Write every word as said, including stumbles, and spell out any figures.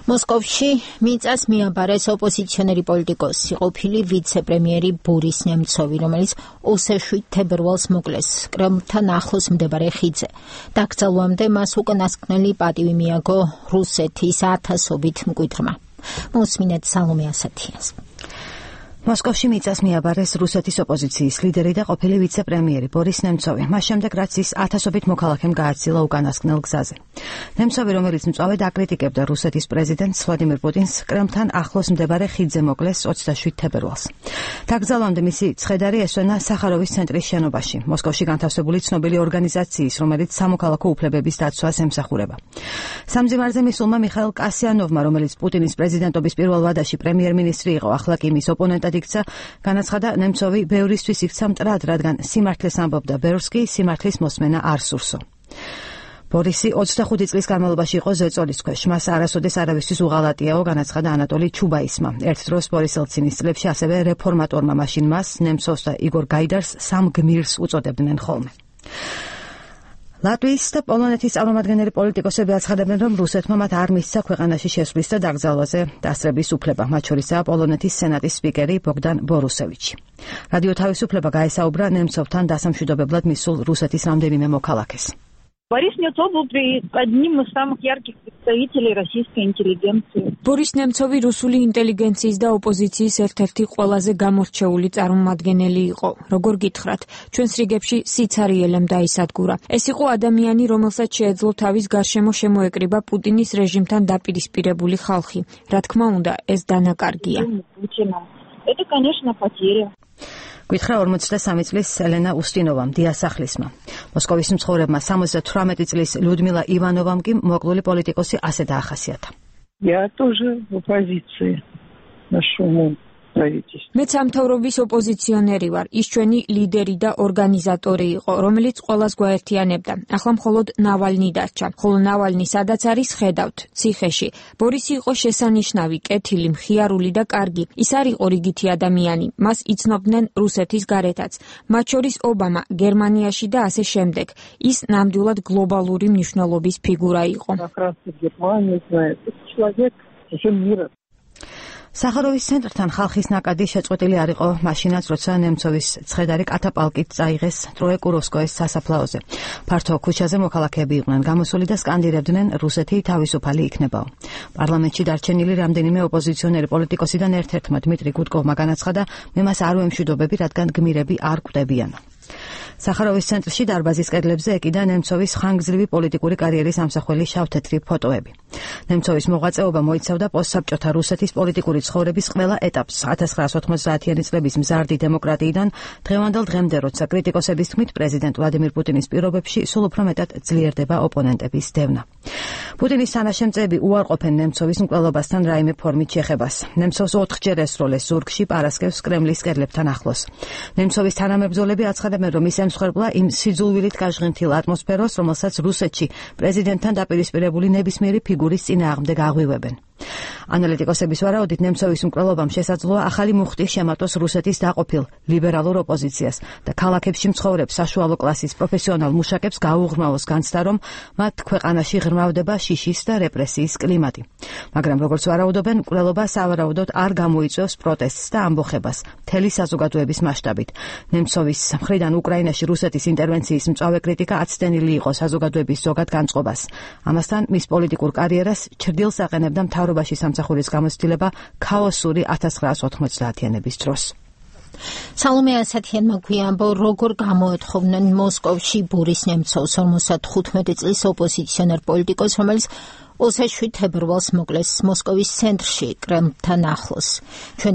მოსკოვში მიწას მიაბარეს ოპოზიციონერი პოლიტიკოსი, ყოფილი ვიცე-პრემიერი ბორის ნემცოვი, რომელიც ოცდაშვიდ თებერვალს მოკლეს კრემლთან ახლოს მდებარე ხიდზე. დაკრძალვამდე მას უკანასკნელი პატივი მიაგო რუსეთის ათასობით მკვიდრმა. მოსმინეთ სალომე ასათიანს. მოსკოვში მიწას მიაბარეს რუსეთის ოპოზიციის ლიდერი და ყოფილი ვიცე-პრემიერი ბორის ნემცოვი, მას შემდეგ რაც ის ათასობით მოქალაქემ გააცილა უკანასკნელ გზაზე. ნემცოვი, რომელიც მწვავედ აკრიტიკებდა რუსეთის პრეზიდენტს ვლადიმირ პუტინს, კრემლთან ახლოს მდებარე ხიდზე მოკლეს ოცდაშვიდ თებერვალს. დაკრძალვამდე მისი ცხედარი ესვენა სახაროვის ცენტრის შენობაში, მოსკოვში განთავსებული ცნობილი ორგანიზაციის, რომელიც სამოქალაქო უფლებების დაცვას ემსახურება. სამძიმარზე მისულმა მიხაილ კასიანოვმა, რომელიც პუტინის პრეზიდენტობის პირველ ვადაში პრემიერ-მინისტრი იყო, ახლა კი მის ოპონენტად იქცა, განაცხადა, ნემცოვი ბევრისთვის იქცა მტრად, რადგან სიმართლეს ამბობდა ბევრს კი სიმართლის მოსმენა არ სურსო. ბორისი ოცდახუთი წლის განმავლობაში იყო ზეწოლის ქვეშ, მას არასოდეს არავისთვის უღალატიაო, განაცხადა ანატოლი ჩუბაისმა. ერთ დროს ბორის ელცინის წლებში ასევე რეფორმატორმა მაშინ მას, ნემცოვს და იგორ გაიდარს სამ გმირს უწოდებდნენ ხოლმე. ლატვიის და პოლონეთის წარმომადგენელი პოლიტიკოსები აცხადებენ, რომ რუსეთმა მათ არ მისცა ქვეყანაში შესვლის და დაკრძალვაზე დასწრების უფლება, მათ შორისაა პოლონეთის სენატის სპიკერი ბოგდან ბორუსევიჩი. რადიო თავისუფლება გაესაუბრა ნემცოვთან დასამშვიდობებლად მისულ რუსეთის რამდენიმე მოქალაქეს. Борис Немцов был одним из самых ярких представителей российской интеллигенции. Борис Немцовი რუსული ინტელიგენციის და ოპოზიციის ერთ-ერთი ყველაზე გამორჩეული წარმომადგენელი იყო. როგორ გითხრათ, ჩვენს რიგებში სიცარიელემ დაისადგურა. ეს იყო ადამიანი, რომელსაც შეეძლო თავის გარშემო შემოეკრიბა პუტინის რეჟიმთან დაპირისპირებული ხალხი. რა თქმა უნდა, ეს დანაკარგია. Это, конечно, потеря. გითხრა ორმოცდასამი წლის ელენა უსტინოვამ, დიასახლისმა. მოსკოვის მცხოვრებმა სამოცდათვრამეტი წლის ლიუდმილა ივანოვამ კი მოკლული პოლიტიკოსი ასე დაახასიათა. Я тоже в оппозиции нашему правительству. მეც სამთავრობის ოპოზიციონერი ვარ. ის ჩვენი ლიდერი და ორგანიზატორი იყო, რომელიც ყველას გვაერთიანებდა. ახლა მხოლოდ ნავალნი დარჩა. ხოლო ნავალნი სადაც არის, ხედავთ, ციხეში. ბორისი იყო შესანიშნავი, კეთილი, მხიარული და კარგი. ის არ იყო რიგითი ადამიანი. მას იცნობდნენ რუსეთის გარეთაც. მათ შორის ობამა, გერმანიაში და ასე შემდეგ. ის ნამდვილად გლობალური მნიშვნელობის ფიგურა იყო. სახაროვის ცენტრთან ხალხის ნაკადი შეწყვეტილი არ იყო მაშინაც, როცა ნემცოვის ცხედარი კატაპალკით წაიღეს ტროეკუროვსკოეს სასაფლაოზე. ფართო ქუჩაზე მოქალაქეები იყვნენ გამოსული და სკანდირებდნენ რუსეთი თავისუფალი იქნებაო. პარლამენტში დარჩენილი რამდენიმე ოპოზიციონერი პოლიტიკოსიდან ერთ-ერთმა დმიტრი გუდკოვმა განაცხადა, მე მას არ ვემშვიდობები, რადგან გმირები არ კვდებიანო. სახაროვის ცენტრში დარბაზის კედლებზე ეკიდა ნემცოვის ხანგრძლივი პოლიტიკური კარიერის ამსახველი შავთეთრი ფოტოები. ნემცოვის მოღვაწეობა მოიცავდა პოსტსაბჭოთა რუსეთის პოლიტიკური ცხოვრების ყველა ეტაპს, ათას ცხრაას ოთხმოცდაათიანი წლების მზარდი დემოკრატიიდან დღევანდელ დღემდე, როცა კრიტიკოსების თქმით პრეზიდენტ ვლადიმირ პუტინის პირობებში სულ უფრო მეტად ძლიერდება ოპონენტების დევნა. პუტინის თანაშემწეები უარყოფენ ნემცოვის მკვლელობასთან რაიმე ფორმით შეხებას. ნემცოვს ოთხჯერ ესროლეს ზურგში პარასკევს კრემლის კედლებთან ახლოს. ნემცოვის თანამებრძოლები აცხადებენ, რომ ის ემსხვერპლა იმ სიძულვილით გაჟღენთილ ატმოსფეროს, რომელსაც რუსეთში პრეზიდენტთან დაპირისპირებული ნებისმიერი ფიგურის წინააღმდეგ აღვივებენ. ანალიტიკოსების ვარაუდით, ნემცოვის მკვლელობამ შესაძლოა ახალი მუხტი შემატოს რუსეთის დაყოფილ ლიბერალურ ოპოზიციას და ქალაქებში მცხოვრებ საშუალო კლასის პროფესიონალ მუშაკებს გაუღრმავოს განცდა, რომ მათ ქვეყანაში ღრმავდება შიშის და რეპრესიის კლიმატი. მაგრამ როგორც ვარაუდობენ, მკვლელობა სავარაუდოდ არ გამოიწვევს პროტესტს და ამბოხებას მთელი საზოგადოების მასშტაბით. ნემცოვის მხრიდან უკრაინაში რუსეთის ინტერვენციის მწვავე კრიტიკა აცდენილი იყო საზოგადოების ზოგად განწყობას. ამასთან მის პოლიტიკურ კარიერას ჩრდილს აყენებდა მთავრობაში სამსახურის გამოცდილება ქაოსური ათას ცხრაას ოთხმოცდაათიანების დროს. სალომე ასათიანმა გვიამბო, როგორ გამოეთხოვნენ მოსკოვში ბორის ნემცოვს, ორმოცდახუთმეტი წლის ოპოზიციონერ პოლიტიკოს, რომელიც ოცდაშვიდ თებერვალს მოკლეს მოსკოვის ცენტრში კრემლთან ახლოს.